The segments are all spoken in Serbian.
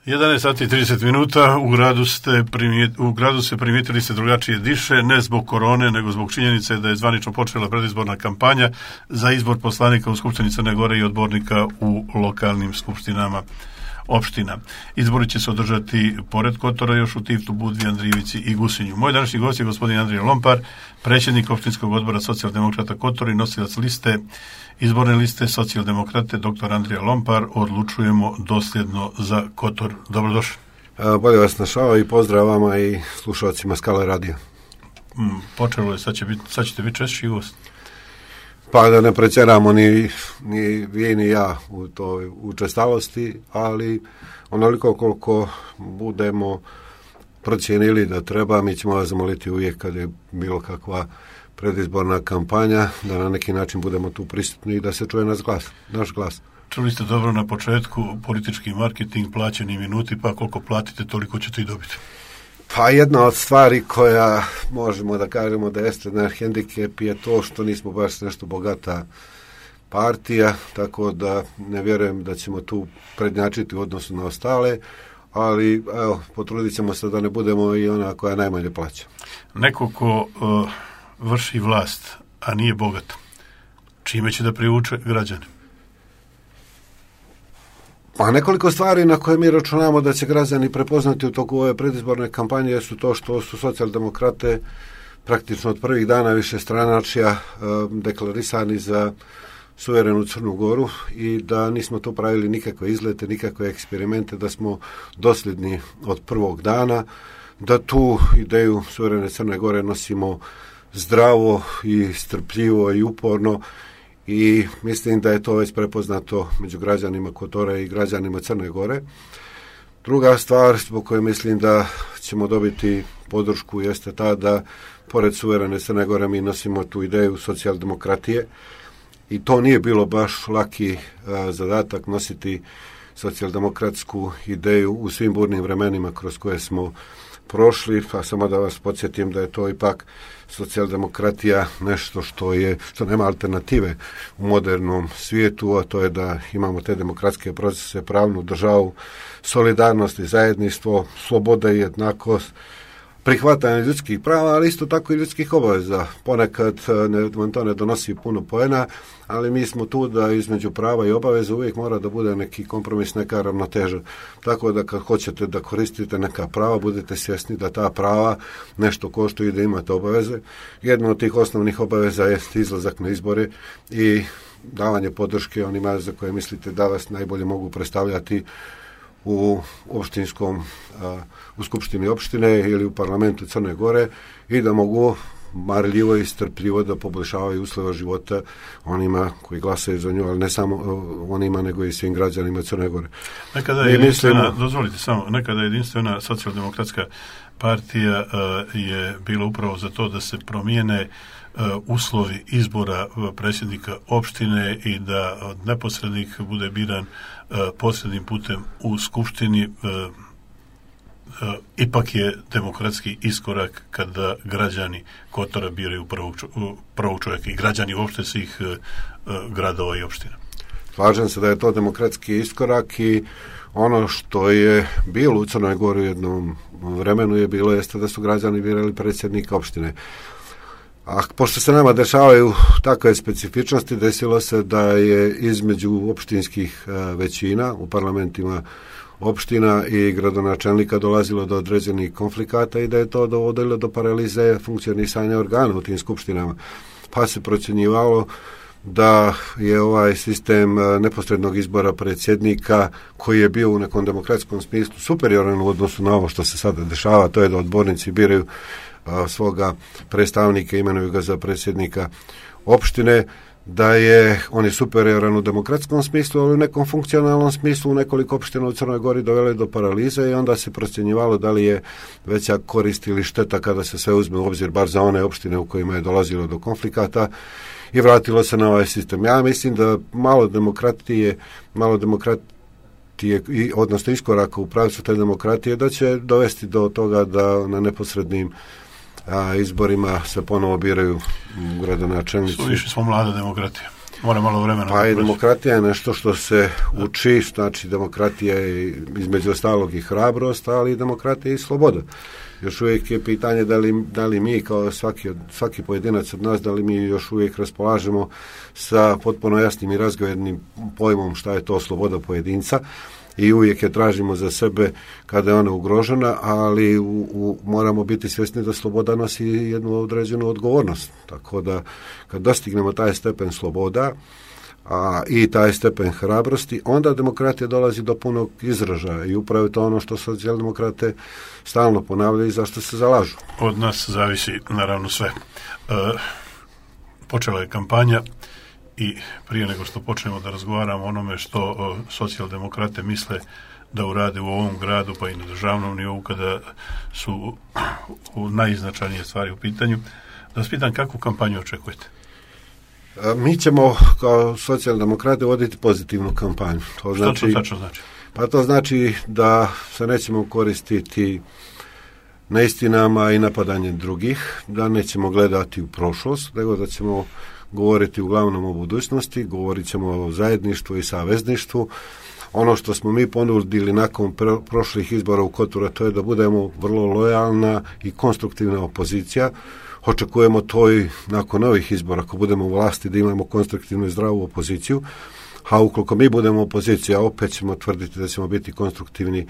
11 sati i 30 minuta, u gradu se primijetili ste drugačije diše, ne zbog korone, nego zbog činjenice da je zvanično počela predizborna kampanja za izbor poslanika u Skupštini Crne Gore i odbornika u lokalnim skupštinama opština. Izbori će se održati pored Kotora još u Tivtu, Budvi, Andrijevici i Gusinju. Moj današnji gost je gospodin Andrija Lompar, predsjednik opštinskog odbora socijaldemokrata Kotor i nosilac izborne liste socijaldemokrate dr. Andrija Lompar. Odlučujemo dosljedno za Kotor. Dobrodošli. Bolje vas našao i pozdrav vama i slušalcima Skala radija. Počelo je, sad ćete biti češći gost. Pa da ne pretjeramo ni vi ni ja u toj učestalosti, ali onoliko koliko budemo procijenili da treba, mi ćemo vas zamoliti uvijek kad je bilo kakva predizborna kampanja, da na neki način budemo tu prisutni i da se čuje naš glas. Čuli ste dobro na početku, politički marketing, plaćeni minuti, pa koliko platite, toliko ćete i dobiti. Pa jedna od stvari koja možemo da kažemo da jeste naš hendikep je to što nismo baš nešto bogata partija, tako da ne vjerujem da ćemo tu prednjačiti u odnosu na ostale, ali evo, potrudit ćemo se da ne budemo i ona koja najmanje plaća. Neko ko vrši vlast, a nije bogat, čime će da privuče građane? Pa nekoliko stvari na koje mi računamo da će građani prepoznati u toku ove predizborne kampanje su to što su socijaldemokrate praktično od prvih dana višestranačja deklarisani za suverenu Crnu Goru i da nismo tu pravili nikakve izlete, nikakve eksperimente, da smo dosljedni od prvog dana, da tu ideju suverene Crne Gore nosimo zdravo i strpljivo i uporno i mislim da je to već prepoznato među građanima Kotora i građanima Crne Gore. Druga stvar zbog koje mislim da ćemo dobiti podršku jeste ta da pored suverene Crne Gore mi nosimo tu ideju socijaldemokratije i to nije bilo baš laki zadatak nositi socijaldemokratsku ideju u svim burnim vremenima kroz koje smo prošli, pa samo da vas podsjetim da je to ipak socijaldemokratija nešto što nema alternative u modernom svijetu, a to je da imamo te demokratske procese, pravnu državu, solidarnost i zajedništvo, sloboda i jednakost, prihvatanje ljudskih prava, ali isto tako i ljudskih obaveza. Ponekad vam to ne donosi puno poena, ali mi smo tu da između prava i obaveza uvijek mora da bude neki kompromis, neka ravnoteža. Tako da kad hoćete da koristite neka prava, budete svjesni da ta prava nešto koštaju i da imate obaveze. Jedna od tih osnovnih obaveza je izlazak na izbore i davanje podrške onima za koje mislite da vas najbolje mogu predstavljati u skupštini opštine ili u parlamentu Crne Gore i da mogu marljivo i strpljivo da poboljšavaju uslova života onima koji glasaju za nju, ali ne samo onima nego i svim građanima Crne Gore. Nekada jedinstvena socijaldemokratska partija je bila upravo za to da se promijene uslovi izbora predsjednika opštine i da neposrednik bude biran posrednim putem u skupštini. Ipak je demokratski iskorak kada građani Kotora biraju prvog čovjeka i građani uopšte svih gradova i opština. Slažem se da je to demokratski iskorak i ono što je bilo u Crnoj Gori u jednom vremenu jeste da su građani birali predsjednika opštine. A pošto se nama dešavaju takve specifičnosti, desilo se da je između opštinskih većina u parlamentima opština i gradonačelnika dolazilo do određenih konflikata i da je to dovodilo do paralize funkcionisanja organa u tim skupštinama. Pa se procjenjivalo da je ovaj sistem neposrednog izbora predsjednika koji je bio u nekom demokratskom smislu superioran u odnosu na ovo što se sada dešava, to je da odbornici biraju svoga predstavnika, imenuju ga za predsjednika opštine, on je superioran u demokratskom smislu, ali u nekom funkcionalnom smislu u nekoliko opština u Crnoj Gori dovele do paralize i onda se procjenjivalo da li je veća korist ili šteta kada se sve uzme u obzir, bar za one opštine u kojima je dolazilo do konflikata i vratilo se na ovaj sistem. Ja mislim da malo demokratije, odnosno iskoraka u pravcu te demokratije, da će dovesti do toga da na neposrednim izborima se ponovo biraju gradonačelnici. Više smo mlada demokratija. Mora malo vremena. Pa i demokratija je nešto što se uči, znači demokratija je između ostalog i hrabrost, ali i demokratija i sloboda. Još uvijek je pitanje da li mi kao svaki pojedinac od nas, da li mi još uvijek raspolažemo sa potpuno jasnim i razgovornim pojmom šta je to sloboda pojedinca i uvijek je tražimo za sebe kada je ona ugrožena, ali moramo biti svjesni da sloboda nosi jednu određenu odgovornost. Tako da kad dostignemo taj stepen sloboda i taj stepen hrabrosti, onda demokratija dolazi do punog izražaja i upravo je to ono što socijaldemokrate stalno ponavljaju i zašto se zalažu. Od nas zavisi naravno sve. Počela je kampanja i prije nego što počnemo da razgovaramo o onome što socijaldemokrate misle da urade u ovom gradu pa i na državnom nivou kada su najznačajnije stvari u pitanju, da vas pitam kakvu kampanju očekujete? Mi ćemo kao socijaldemokrati voditi pozitivnu kampanju. Što to tačno znači? Pa to znači da se nećemo koristiti neistinama i napadanjem drugih, da nećemo gledati u prošlost, nego da ćemo govoriti uglavnom o budućnosti, govorit ćemo o zajedništvu i savezništvu. Ono što smo mi ponudili nakon prošlih izbora u Kotoru, to je da budemo vrlo lojalna i konstruktivna opozicija. Očekujemo to i nakon novih izbora, ako budemo u vlasti, da imamo konstruktivnu i zdravu opoziciju, a ukoliko mi budemo opozicija, opet ćemo tvrditi da ćemo biti konstruktivni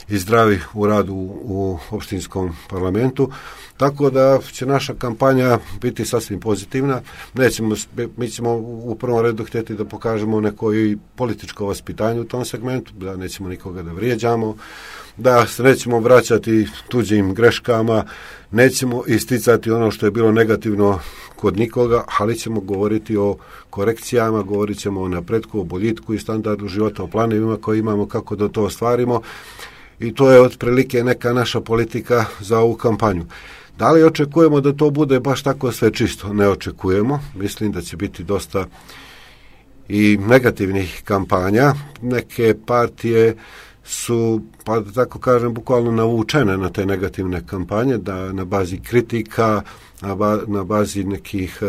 i zdravi u radu u opštinskom parlamentu, tako da će naša kampanja biti sasvim pozitivna. Mi ćemo u prvom redu htjeti da pokažemo neko i političko vaspitanje u tom segmentu, da nećemo nikoga da vrijeđamo, da se nećemo vraćati tuđim greškama, nećemo isticati ono što je bilo negativno kod nikoga, ali ćemo govoriti o korekcijama, govorit ćemo o napretku, o boljitku i standardu života, o planovima koje imamo, kako da to ostvarimo. I to je otprilike neka naša politika za ovu kampanju. Da li očekujemo da to bude baš tako sve čisto? Ne očekujemo. Mislim da će biti dosta i negativnih kampanja. Neke partije su, pa da tako kažem, bukvalno navučene na te negativne kampanje, da na bazi kritika, na bazi nekih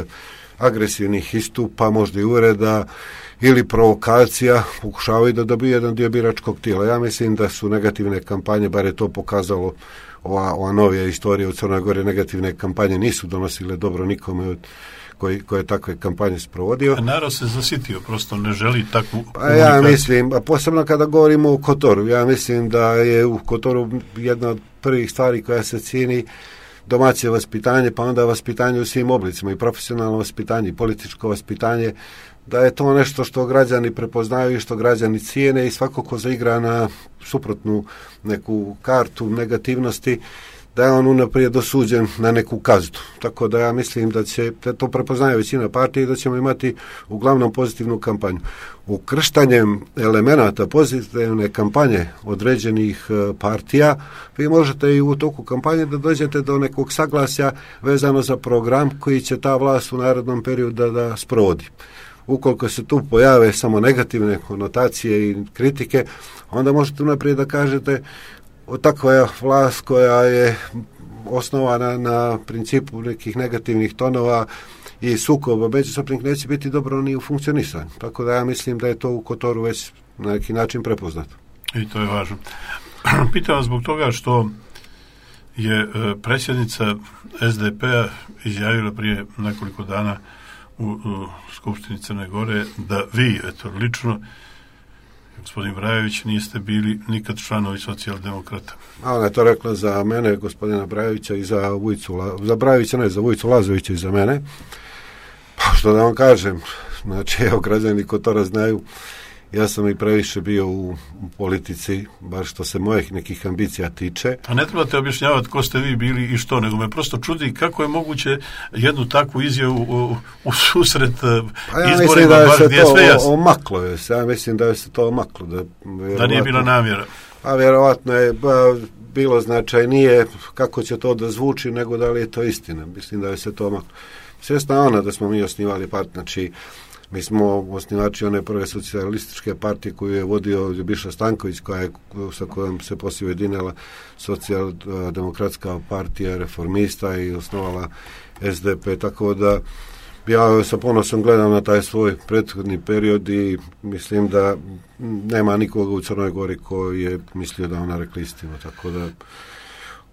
agresivnih istupa, možda i uvreda ili provokacija, pokušavaju da dobiju jedan dio biračkog tijela. Ja mislim da su negativne kampanje, bar je to pokazalo ova novija istorija u Crnoj Gori, negativne kampanje nisu donosile dobro nikome koji je takve kampanje sprovodio. A narod se zasitio, prosto ne želi takvu komunikaciju. Ja mislim, posebno kada govorimo o Kotoru, ja mislim da je u Kotoru jedna od prvih stvari koja se cijeni domaće vaspitanje, pa onda vaspitanje u svim oblicima, i profesionalno vaspitanje, i političko vaspitanje, da je to nešto što građani prepoznaju i što građani cijene, i svako ko zaigra na suprotnu neku kartu negativnosti, da je on unaprijed osuđen na neku kaznu. Tako da ja mislim da to prepoznaje većina partije i da ćemo imati uglavnom pozitivnu kampanju. Ukrštanjem elemenata pozitivne kampanje određenih partija, vi možete i u toku kampanje da dođete do nekog saglasja vezano za program koji će ta vlast u narednom periodu da sprovodi. Ukoliko se tu pojave samo negativne konotacije i kritike, onda možete unaprijed da kažete takva je vlast koja je osnovana na principu nekih negativnih tonova i sukoba međusobnih neće biti dobro ni u funkcionisanju. Tako da ja mislim da je to u Kotoru već na neki način prepoznato. I to je važno. Pitam vas zbog toga što je predsjednica SDP-a izjavila prije nekoliko dana u Skupštini Crne Gore da vi, lično, gospodin Brajević, niste bili nikad članovi socijaldemokrata. Ona je to rekla za mene, gospodina Brajevića, i za Brajevića, ne, za Vujicu Lazovića i za mene. Pa što da vam kažem, znači, evo, građani Kotora znaju, ja sam i previše bio u politici, bar što se mojih nekih ambicija tiče. A ne trebate objašnjavati ko ste vi bili i što, nego me prosto čudi kako je moguće jednu takvu izjavu u susret izborima, baš gdje je sve jasno. Ja mislim da je se to omaklo. Da nije bila namjera. A vjerovatno je bilo značajnije kako će to da zvuči, nego da li je to istina. Mislim da je se to omaklo. Svjesna ona da smo mi osnivali part, znači mi smo osnivači one prve socijalističke partije koju je vodio Ljubiša Stanković, sa kojom se poslije ujedinila socijaldemokratska partija reformista i osnovala SDP, tako da Ja sa ponosom gledam na taj svoj prethodni period i mislim da nema nikoga u Crnoj Gori koji je mislio da ona rekla istinu, tako da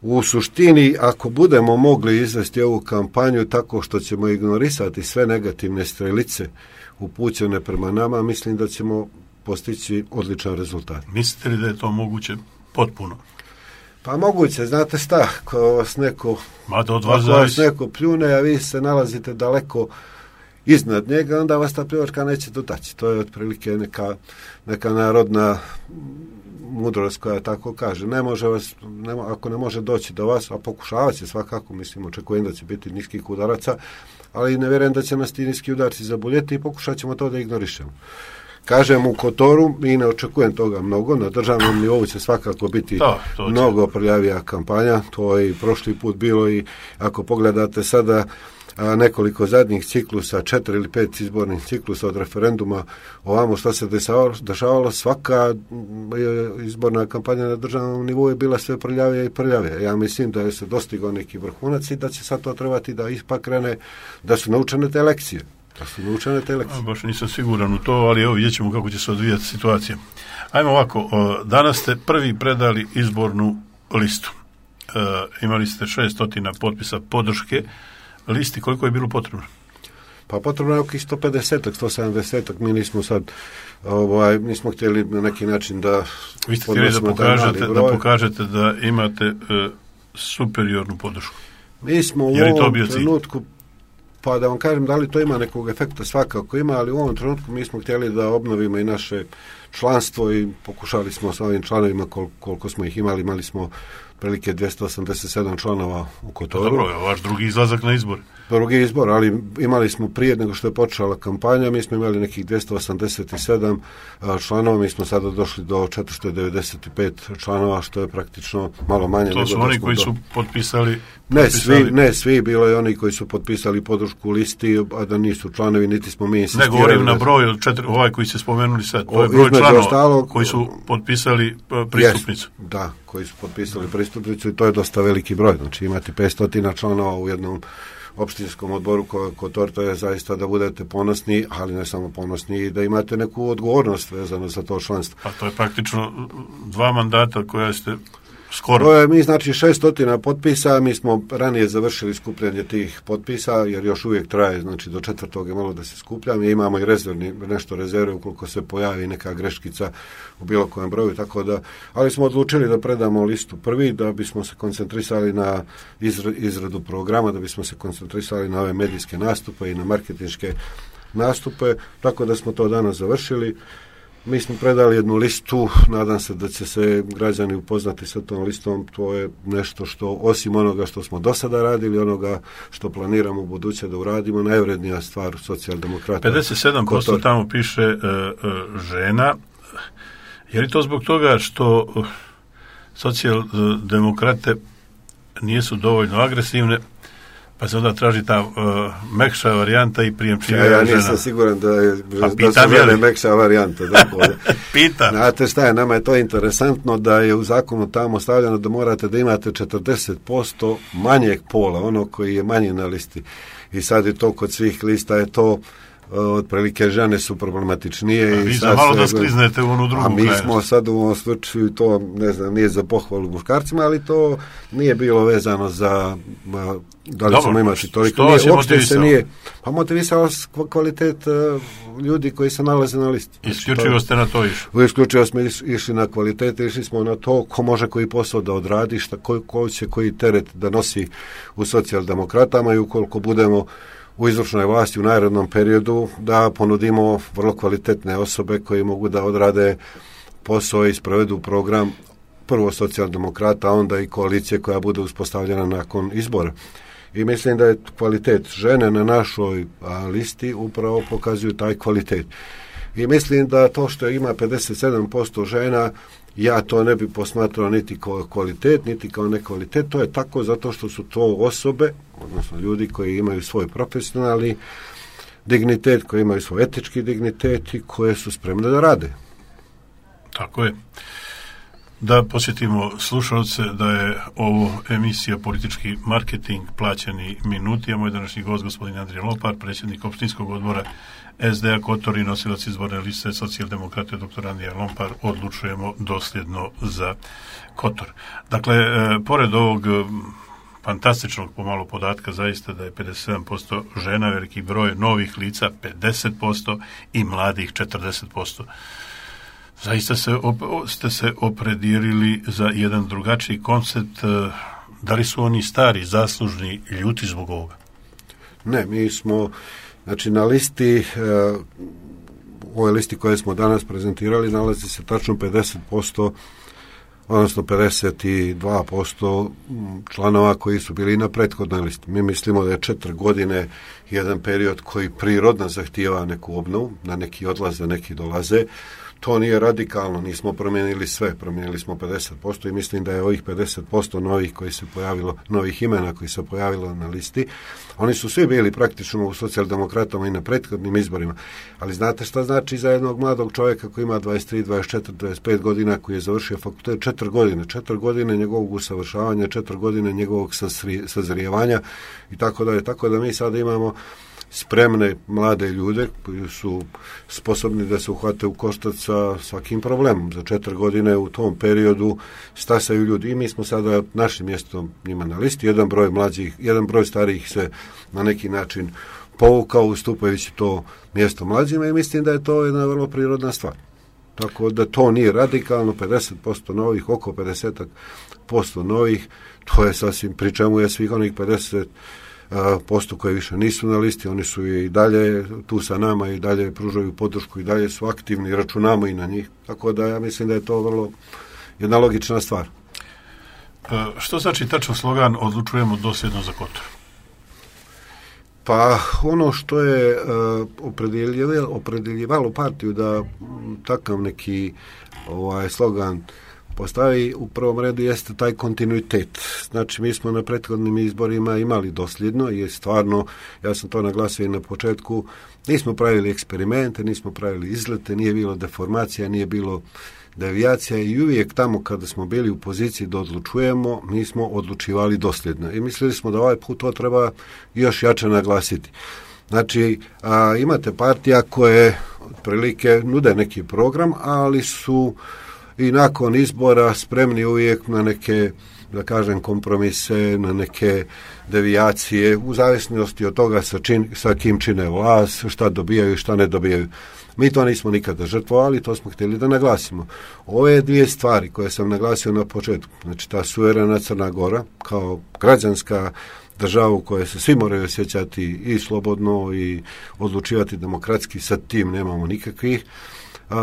u suštini, ako budemo mogli izvesti ovu kampanju tako što ćemo ignorisati sve negativne strelice upućene prema nama, mislim da ćemo postići odličan rezultat. Mislite li da je to moguće potpuno? Pa moguće, znate šta, ako vas neko pljune, a vi se nalazite daleko iznad njega, onda vas ta pljuvačka neće dotaći. To je otprilike neka narodna mudrost koja tako kaže. Ako ne može doći do vas, a pokušavat će svakako, mislim, očekujem da će biti niskih udaraca, ali ne vjerujem da će nas ti niski udarci zaboljeti i pokušat ćemo to da ignorišemo. Kažem, u Kotoru i ne očekujem toga mnogo, na državnom nivou će svakako biti mnogo prljavija kampanja, to je i prošli put bilo i ako pogledate sada nekoliko zadnjih ciklusa, 4 ili 5 izbornih ciklusa od referenduma, ovamo što se dešavalo, svaka izborna kampanja na državnom nivou je bila sve prljavija i prljavija. Ja mislim da je se dostigao neki vrhunac i da će sad to trebati da ipak krene, da su naučene te lekcije. Baš nisam siguran u to, ali evo vidjet ćemo kako će se odvijati situacija. Ajmo ovako, danas ste prvi predali izbornu listu. Imali ste 600 potpisa podrške listi, koliko je bilo potrebno? Pa potrebno je oko 150-170, mi nismo sad nismo htjeli na neki način da vi ste htjeli da pokažete da imate superiornu podršku. Mi smo u ovom trenutku, pa da vam kažem da li to ima nekog efekta, svakako ima, ali u ovom trenutku mi smo htjeli da obnovimo i naše članstvo i pokušali smo sa ovim članovima koliko smo ih imali smo prilike 287 članova u Kotoru. Dobro, vaš drugi izlazak na izbor. Drugi izbor, ali imali smo prije nego što je počela kampanja, mi smo imali nekih 287 članova, mi smo sada došli do 495 članova, što je praktično malo manje. To su oni koji su potpisali... Ne svi, bilo je oni koji su potpisali podršku listi, a da nisu članovi, niti smo mi insistirali. Ne govorim na broj od 4, ovaj koji ste spomenuli sad, to je broj članova koji su potpisali pristupnicu. Da, koji su potpisali pristupnicu i to je dosta veliki broj, znači imate 500 članova u jednom opštinskom odboru Kotor, to je zaista da budete ponosni, ali ne samo ponosni, i da imate neku odgovornost vezano za to članstvo. A to je praktično 2 mandata koja ste skoro. Mi znači 600 potpisa, mi smo ranije završili skupljanje tih potpisa, jer još uvijek traje, znači do 4. je malo da se skuplja, mi imamo i nešto rezerve ukoliko se pojavi neka greškica u bilo kojem broju, tako da, ali smo odlučili da predamo listu prvi, da bismo se koncentrisali na izradu programa, da bismo se koncentrisali na ove medijske nastupe i na marketinške nastupe, tako da smo to danas završili. Mi smo predali jednu listu, nadam se da će se građani upoznati sa tom listom, to je nešto što, osim onoga što smo do sada radili, onoga što planiramo u buduće da uradimo, najvrednija stvar socijaldemokrata. 57% tamo piše žena. Je li to zbog toga što socijaldemokrate nisu dovoljno agresivne, pa se onda traži ta mekša varijanta i prijemčivija žena? Ja nisam siguran da su žene mekša varijanta. Pitam. Znate šta je, nama je to interesantno da je u zakonu tamo stavljeno da morate da imate 40% manjeg pola, ono koji je manji na listi. I sad je to kod svih lista, je to otprilike žene su problematičnije. A vi za malo da skliznete u onu drugu kraju. A mi smo sad u ovom slučaju, to ne znam, nije za pohvalu muškarcima, ali to nije bilo vezano za da li ćemo imati toliko. Što vas je motivisalo? Pa motivisalo kvalitet ljudi koji se nalaze na listi. Isključivo ste na to išli? Isključivo smo išli na kvalitet, išli smo na to ko može koji posao da odradi, ko će koji teret da nosi u socijaldemokratama i ukoliko budemo u izvršnoj vlasti u narednom periodu da ponudimo vrlo kvalitetne osobe koji mogu da odrade posao i sprovedu program prvo socijaldemokrata, onda i koalicije koja bude uspostavljena nakon izbora. I mislim da je kvalitet žene na našoj listi upravo pokazuju taj kvalitet. I mislim da to što ima 57% žena, ja to ne bi posmatrao niti kao kvalitet, niti kao nekvalitet, to je tako zato što su to osobe, odnosno ljudi koji imaju svoj profesionalni dignitet, koji imaju svoj etički dignitet i koje su spremne da rade. Tako je. Da posjetimo slušalce da je ovo emisija Politički marketing, plaćeni minuti, a moj današnji gost gospodin Andrija Lopar, predsjednik opštinskog odbora SDA Kotor i nosilac izborne liste Socijaldemokrate dr. Andrija Lopar. Odlučujemo dosljedno za Kotor. Dakle, pored ovog fantastičnog pomalo podatka zaista da je 57% žena, veliki broj novih lica 50% i mladih 40%. Zaista ste se opredijelili za jedan drugačiji koncept. Da li su oni stari, zaslužni, ljuti zbog ovoga? Ne, mi smo, znači na listi, u ovoj listi koje smo danas prezentirali, nalazi se tačno 50%, odnosno 52% članova koji su bili na prethodnoj listi. Mi mislimo da je 4 godine jedan period koji prirodno zahtijeva neku obnovu, na neki odlaze, neki dolaze. To nije radikalno, nismo promijenili sve, promijenili smo 50% i mislim da je ovih 50% novih koji se pojavilo, novih imena koji se pojavilo na listi, oni su svi bili praktično u socijaldemokratama i na prethodnim izborima. Ali znate šta znači za jednog mladog čovjeka koji ima 23, 24, 25 godina, koji je završio fakultet 4 godine njegovog usavršavanja, 4 godine njegovog sazrijevanja i tako dalje. Tako da mi sada imamo spremne mlade ljude koji su sposobni da se uhvate u koštac sa svakim problemom. Za 4 godine u tom periodu stasaju ljudi i mi smo sada našim mjestom njima na listi. Jedan broj starijih se na neki način povukao ustupajući to mjesto mlađima i mislim da je to jedna vrlo prirodna stvar. Tako da to nije radikalno, 50% novih, oko 50% novih, to je sasvim, pri čemu je svih onih 50% koji više nisu na listi, oni su i dalje tu sa nama i dalje pružaju podršku i dalje su aktivni, računamo i na njih. Tako da ja mislim da je to vrlo jedna logična stvar. Što znači tačan slogan odlučujemo dosljedno za Kotor? Pa ono što je opredjeljivalo partiju da takav neki slogan postavi u prvom redu jeste taj kontinuitet. Znači mi smo na prethodnim izborima imali dosljedno i stvarno, ja sam to naglasio i na početku, nismo pravili eksperimente, nismo pravili izlete, nije bilo deformacija, nije bilo devijacija i uvijek tamo kada smo bili u poziciji da odlučujemo, mi smo odlučivali dosljedno i mislili smo da ovaj put to treba još jače naglasiti. Znači, imate partija koje otprilike nude neki program, ali su i nakon izbora spremni uvijek na neke, da kažem, kompromise, na neke devijacije, u zavisnosti od toga sa kim čine vlast, šta dobijaju i šta ne dobijaju. Mi to nismo nikada žrtvovali, to smo htjeli da naglasimo. Ove dvije stvari koje sam naglasio na početku, znači ta suverena Crna Gora kao građanska država u kojoj se svi moraju osjećati i slobodno i odlučivati demokratski, sa tim nemamo nikakvih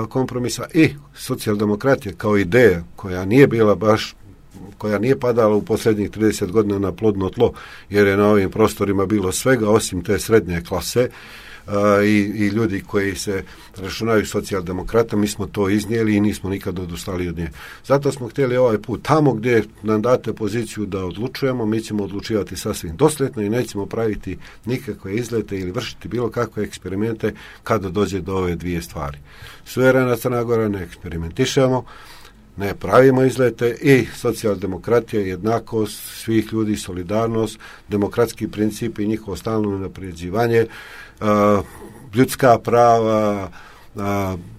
kompromisa, i socijaldemokratija kao ideja koja nije bila baš, koja nije padala u posljednjih 30 godina na plodno tlo, jer je na ovim prostorima bilo svega osim te srednje klase i ljudi koji se računaju socijaldemokrata, mi smo to iznijeli i nismo nikad odustali od nje. Zato smo htjeli ovaj put, tamo gdje nam date poziciju da odlučujemo, mi ćemo odlučivati sasvim dosljedno i nećemo praviti nikakve izlete ili vršiti bilo kakve eksperimente kada dođe do ove dvije stvari. Suverena Crna Gora ne eksperimentišemo, ne pravimo izlete i socijaldemokratija, jednakost svih ljudi, solidarnost, demokratski princip i njihovo stalno unapređivanje, ljudska prava,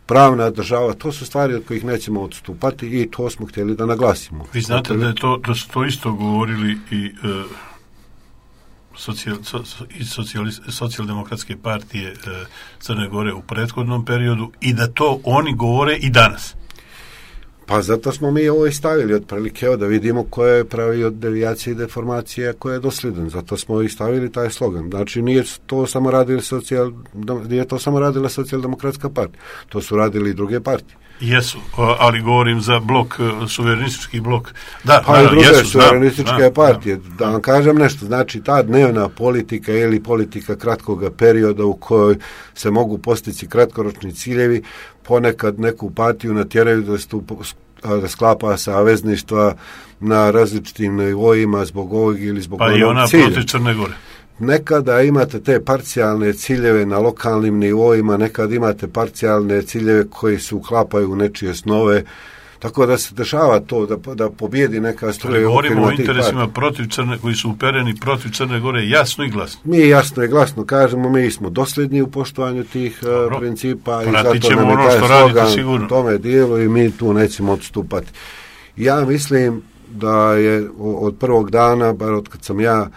pravna država, to su stvari od kojih nećemo odstupati i to smo htjeli da naglasimo. Vi znate da su to isto govorili i socijaldemokratske partije Crne Gore u prethodnom periodu i da to oni govore i danas. Pa zato smo mi ovo i stavili otprilike, da vidimo ko je pravio devijacije i deformacije, ko je dosljedan. Zato smo i stavili taj slogan. Znači nije to samo radila socijaldemokratska partija. To su radili i druge partije. Jesu, ali govorim za blok, suverenistički blok. Da, pa i druge suverenističke partije. Da vam kažem nešto, znači ta dnevna politika ili politika kratkoga perioda u kojoj se mogu postići kratkoročni ciljevi, ponekad neku partiju natjeraju da sklapa savezništva na različitim nivoima zbog ovog ili zbog onog cilja. Pa i ona protiv Crne Gore. Nekada imate te parcijalne ciljeve na lokalnim nivoima, nekad imate parcijalne ciljeve koji se uklapaju u nečije snove. Tako da se dešava to da pobjedi neka struja. Govorimo o interesima protiv Crne, koji su upereni protiv Crne Gore jasno i glasno. Mi jasno i glasno kažemo, mi smo dosljedni u poštovanju tih principa i zato nam je taj slogan u tome dijelu i mi tu nećemo odstupati. Ja mislim da je od prvog dana, bar od kad sam ja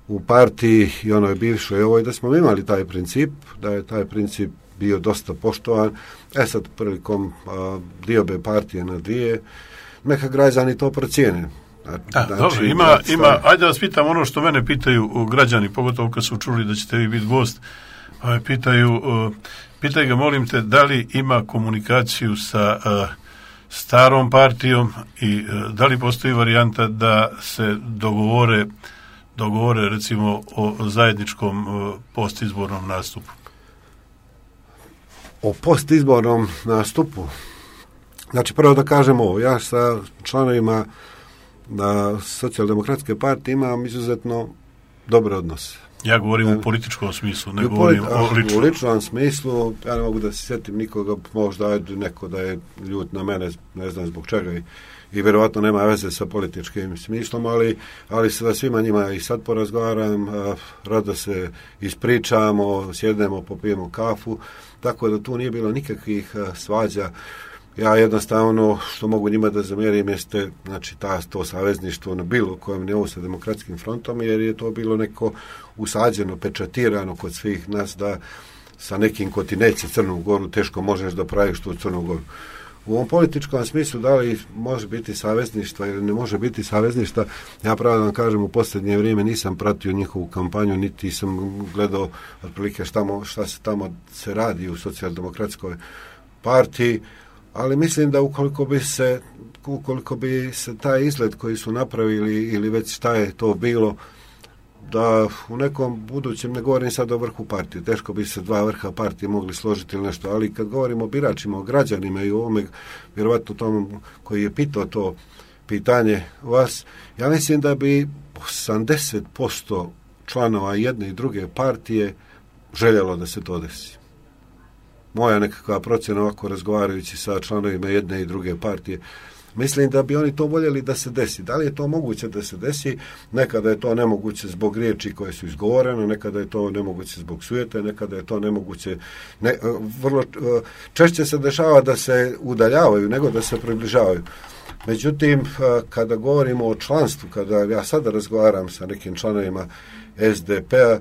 u partiji i onoj bivšoj ovoj, da smo imali taj princip, da je taj princip bio dosta poštovan. Sad prilikom diobe partije na dvije, neka građani to procijene. Dobro, ima, ajde da vas pitam ono što mene pitaju građani, pogotovo kad su čuli da ćete vi biti gost, pitaj ga, molim te, da li ima komunikaciju sa starom partijom i da li postoji varijanta da se dogovore recimo o zajedničkom postizbornom nastupu? O postizbornom nastupu? Znači, prvo da kažem ovo, ja sa članovima na Socijaldemokratske partije imam izuzetno dobre odnose. Ja govorim u političkom smislu, ne govorim o ličnom. U ličnom smislu, ja ne mogu da se sjetim nikoga, možda neko da je ljut na mene, ne znam zbog čega i vjerovatno nema veze sa političkim smislom, ali sa svima njima i sad porazgovaram, rado se ispričamo, sjednemo, popijemo kafu, tako da tu nije bilo nikakvih svađa. Ja jednostavno što mogu njima da zamjerim jeste, znači to savezništvo na bilo kojem nivou sa Demokratskim frontom, jer je to bilo neko usađeno, pečatirano kod svih nas da sa nekim ko ti neće Crnu Goru teško možeš da praviš tu Crnu Goru. U ovom političkom smislu da li može biti savezništva ili ne može biti savezništva, ja pravo da vam kažem, u posljednje vrijeme nisam pratio njihovu kampanju, niti sam gledao otprilike šta se tamo se radi u Socijaldemokratskoj partiji, ali mislim da ukoliko bi se taj izgled koji su napravili ili već šta je to bilo, da u nekom budućem, ne govorim sad o vrhu partije, teško bi se dva vrha partije mogli složiti ili nešto, ali kad govorimo o biračima, o građanima i o ovome, vjerovatno tom koji je pitao to pitanje vas, ja mislim da bi 80% članova jedne i druge partije željelo da se to desi. Moja nekakva procjena ovako razgovarajući sa članovima jedne i druge partije, mislim da bi oni to voljeli da se desi. Da li je to moguće da se desi? Nekada je to nemoguće zbog riječi koje su izgovorene, nekada je to nemoguće zbog sujete, nekada je to nemoguće. Vrlo češće se dešava da se udaljavaju nego da se približavaju. Međutim, kada govorimo o članstvu, kada ja sada razgovaram sa nekim članovima SDP-a,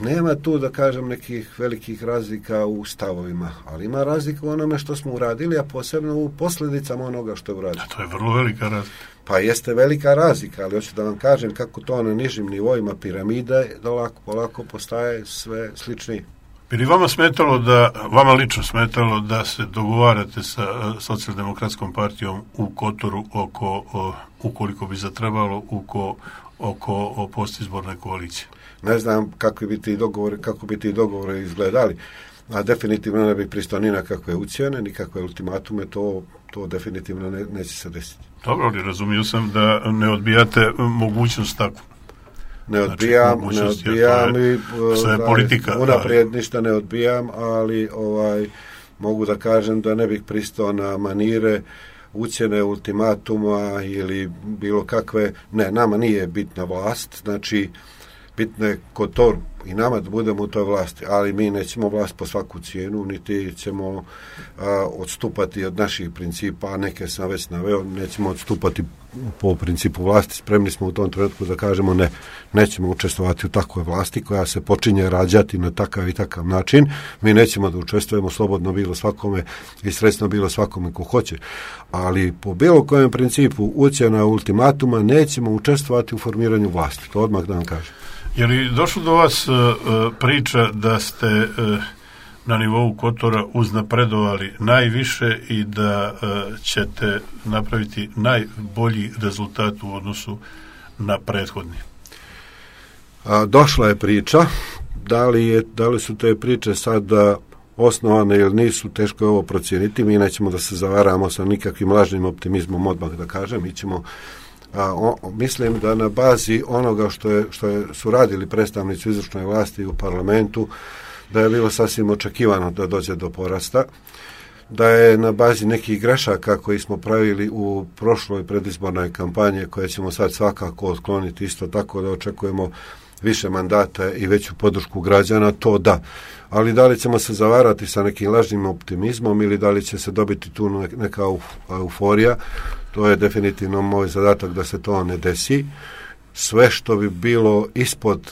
nema tu, da kažem, nekih velikih razlika u stavovima, ali ima razlika u onome što smo uradili, a posebno u posljedicama onoga što je uradili. To je vrlo velika razlika. Pa jeste velika razlika, ali hoću da vam kažem kako to na nižim nivoima piramide polako postaje sve sličnije. Bi li vama lično smetalo da se dogovarate sa Socijaldemokratskom partijom u Kotoru ukoliko bi zatrebalo oko postizborne koalicije? Ne znam kako bi ti dogovori izgledali, a definitivno ne bi pristao ni na kakve ucjene, ni kakve ultimatume, to definitivno neće se desiti. Dobro, ali razumio sam da ne odbijate mogućnost takvu. Ne odbijam i politika. Unaprijed ništa ne odbijam, ali mogu da kažem da ne bih pristao na manire ucjene, ultimatuma ili bilo kakve. Ne, nama nije bitna vlast, znači bitno je Kotor i nama da budemo u toj vlasti, ali mi nećemo vlast po svaku cijenu, niti ćemo odstupati od naših principa, a neke sam već naveo, nećemo odstupati po principu vlasti, spremni smo u tom trenutku da kažemo ne, nećemo učestvovati u takvoj vlasti koja se počinje rađati na takav i takav način, mi nećemo da učestvujemo slobodno bilo svakome i sredstveno bilo svakome ko hoće, ali po bilo kojem principu ucjena ultimatuma nećemo učestvovati u formiranju vlasti, to odmah da vam kažem. Je li došlo do vas priča da ste na nivou Kotora uznapredovali najviše i da ćete napraviti najbolji rezultat u odnosu na prethodni? Došla je priča. Da li su te priče sada osnovane ili nisu, teško je ovo procijeniti. Mi nećemo da se zavaramo sa nikakvim lažnim optimizmom, odmah da kažem. Mi ćemo mislim da na bazi onoga što su radili predstavnici izvršne vlasti u parlamentu, da je bilo sasvim očekivano da dođe do porasta. da je na bazi nekih grešaka koji smo pravili u prošloj predizbornoj kampanji, koje ćemo sad svakako otkloniti, isto tako da očekujemo više mandata i veću podršku građana, to da. Ali da li ćemo se zavarati sa nekim lažnim optimizmom ili da li će se dobiti tu neka euforija, to je definitivno moj zadatak da se to ne desi. Sve što bi bilo ispod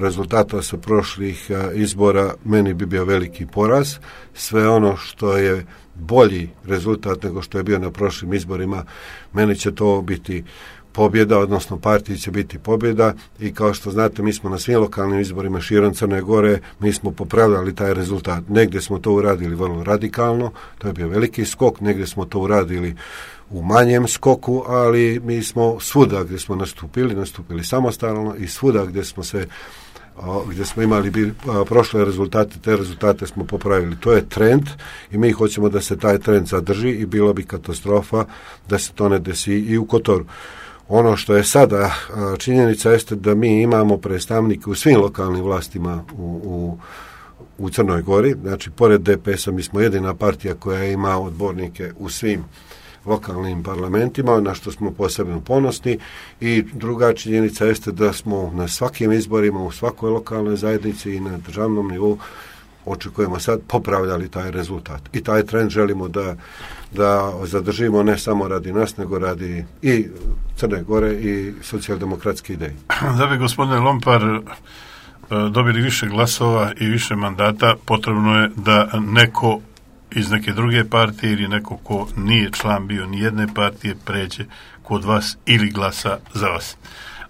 rezultata sa prošlih izbora, meni bi bio veliki poraz. Sve ono što je bolji rezultat nego što je bio na prošlim izborima, meni će to biti pobjeda, odnosno partiji će biti pobjeda i kao što znate, mi smo na svim lokalnim izborima širom Crne Gore, mi smo popravljali taj rezultat. Negdje smo to uradili vrlo radikalno, to je bio veliki skok, negdje smo to uradili u manjem skoku, ali mi smo svuda gdje smo nastupili samostalno i svuda gdje smo imali prošle rezultate, te rezultate smo popravili. To je trend i mi hoćemo da se taj trend zadrži i bilo bi katastrofa da se to ne desi i u Kotoru. Ono što je sada činjenica jeste da mi imamo predstavnike u svim lokalnim vlastima u Crnoj Gori, znači pored DPS-a mi smo jedina partija koja ima odbornike u svim lokalnim parlamentima, na što smo posebno ponosni, i druga činjenica jeste da smo na svakim izborima u svakoj lokalnoj zajednici i na državnom nivou očekujemo sad popravljali taj rezultat. I taj trend želimo da zadržimo ne samo radi nas, nego radi i Crne Gore i socijaldemokratske ideje. Da bi gospodine Lompar dobili više glasova i više mandata, potrebno je da neko iz neke druge partije ili neko ko nije član bio ni jedne partije pređe kod vas ili glasa za vas.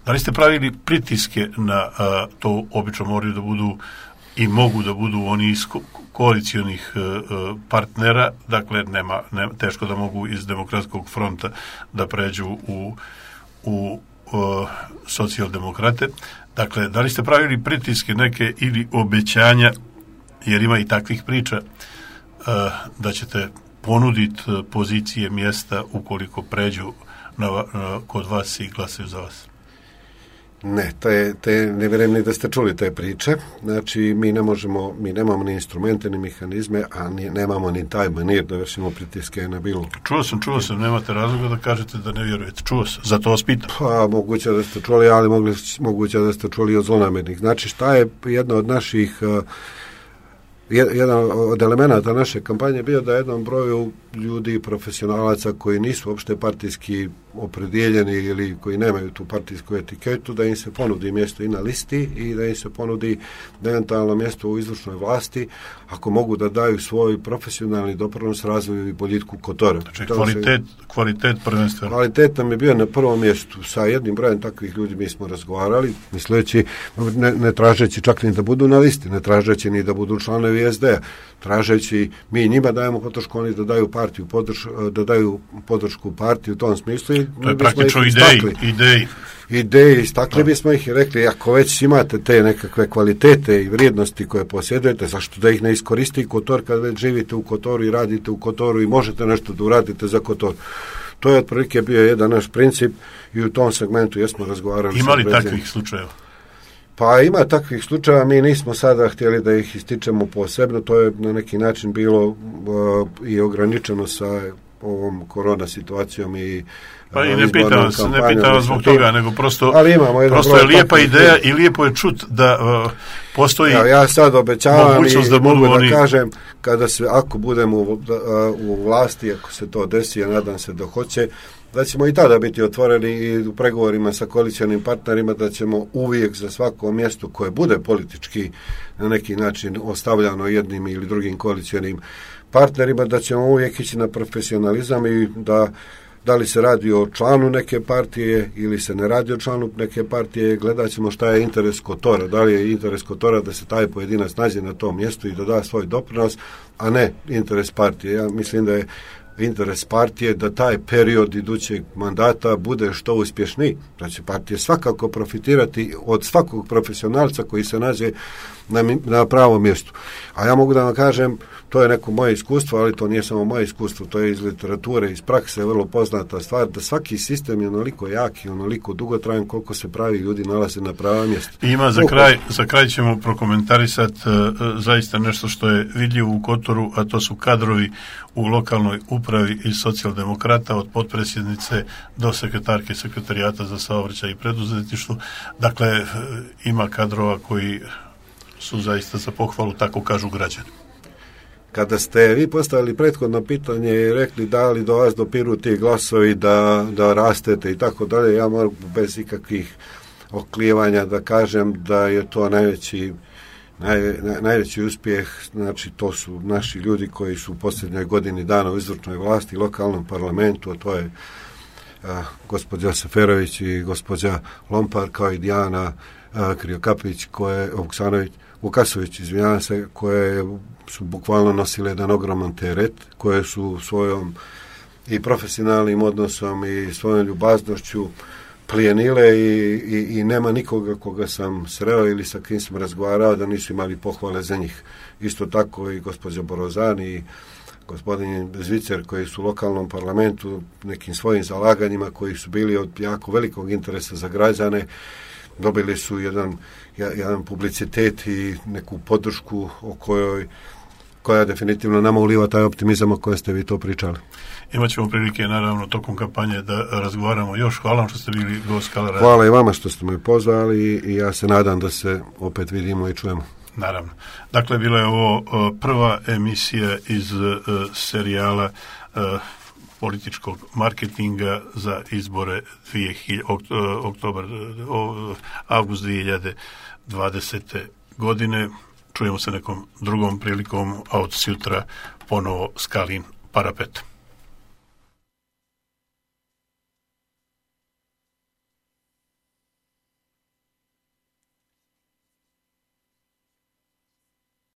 Da li ste pravili pritiske na to? Obično moraju da budu i mogu da budu oni iz koalicijonih partnera, dakle nema teško da mogu iz Demokratskog fronta da pređu u socijaldemokrate. Dakle, da li ste pravili pritiske neke ili obećanja, jer ima i takvih priča, da ćete ponuditi pozicije, mjesta ukoliko pređu kod vas i glasaju za vas? Ne, ne vjerujem ni da ste čuli te priče. Znači, mi nemamo ni instrumente, ni mehanizme, a nemamo ni taj manir da vršimo pritiske na bilo. Čuo sam, nemate razloga da kažete da ne vjerujete. Čuo sam, zato vas pitam. Pa, moguće da ste čuli, ali moguće da ste čuli od zlonamernih. Znači, šta je jedna od naših jedan od elemenata naše kampanje bio da jednom broju ljudi, profesionalaca koji nisu uopšte partijski opredijeljeni ili koji nemaju tu partijsku etiketu, da im se ponudi mjesto i na listi i da im se ponudi eventualno mjesto u izvršnoj vlasti, ako mogu da daju svoj profesionalni doprinos razvoju i boljitku Kotora. Znači, kvalitet prvenstveno. Kvalitet nam je bio na prvom mjestu. Sa jednim brojem takvih ljudi mi smo razgovarali, misleći, ne tražeći čak ni da budu na listi, ne tražeći ni da budu članovi SD-a, tražeći mi njima dajemo podršku, oni da daju partiju da daju podršku partiju u tom smislu. To je praktično ideji. Istakli bismo ih i rekli, ako već imate te nekakve kvalitete i vrijednosti koje posjedujete, zašto da ih ne iskoristi Kotor kad već živite u Kotoru i radite u Kotoru i možete nešto da uradite za Kotor. To je otprilike bio jedan naš princip i u tom segmentu jesmo razgovarali. Ima li takvih slučajeva? Pa ima takvih slučajeva, mi nismo sada htjeli da ih ističemo posebno, to je na neki način bilo i ograničeno sa ovom korona situacijom i pa i ne pitam zbog toga, nego prosto je lijepa ideja i lijepo je čut da postoji ja sad obećavam i mogu da kažem ako budemo u vlasti, ako se to desi, a nadam se da hoće, da ćemo i tada biti otvoreni i u pregovorima sa koalicijalnim partnerima, da ćemo uvijek za svako mjesto koje bude politički na neki način ostavljano jednim ili drugim koalicijalnim partnerima, da ćemo uvijek ići na profesionalizam i da li se radi o članu neke partije ili se ne radi o članu neke partije, gledat ćemo šta je interes Kotora, da li je interes Kotora da se taj pojedinac nađe na tom mjestu i da da svoj doprinos, a ne interes partije. Ja mislim da je interes partije da taj period idućeg mandata bude što uspješniji. Znači, partija svakako profitirati od svakog profesionalca koji se nađe na pravom mjestu. A ja mogu da vam kažem, to je neko moje iskustvo, ali to nije samo moje iskustvo, to je iz literature, iz prakse, vrlo poznata stvar, da svaki sistem je onoliko jak i onoliko dugotrajan koliko se pravi ljudi nalaze na prava mjesta. Ima za kraj ćemo prokomentarisati zaista nešto što je vidljivo u Kotoru, a to su kadrovi u lokalnoj upravi i socijaldemokrata, od potpredsjednice do sekretarke sekretarijata za saobraćaj i preduzetništvo. Dakle, ima kadrova koji su zaista za pohvalu, tako kažu građani. Kada ste vi postavili prethodno pitanje i rekli da li do vas dopiru ti glasovi da rastete i tako dalje, ja moram bez ikakvih oklijevanja da kažem da je to najveći uspjeh. Znači, to su naši ljudi koji su u posljednjoj godini dana u izvršnoj vlasti, lokalnom parlamentu, a to je gospođa Seferović i gospođa Lompar, kao i Dijana Kriokapić, Vukasović, izvinjavam se, koje su bukvalno nosile jedan ogroman teret, koje su svojom i profesionalnim odnosom i svojom ljubaznošću plijenile i nema nikoga koga sam sreo ili sa kim sam razgovarao da nisu imali pohvale za njih. Isto tako i gospođa Borozan i gospodin Zvicer, koji su u lokalnom parlamentu nekim svojim zalaganjima koji su bili od jako velikog interesa za građane, dobili su jedan publicitet i neku podršku koja definitivno nama uliva taj optimizam o kojem ste vi to pričali. Imaćemo prilike, naravno, tokom kampanje da razgovaramo još. Hvala vam što ste bili gost Kala radija. Hvala i vama što ste me pozvali i ja se nadam da se opet vidimo i čujemo. Naravno. Dakle, bila je ovo prva emisija iz serijala političkog marketinga za izbore avgust 2020. godine. Čujemo se nekom drugom prilikom, a od sutra ponovo Skalin parapet.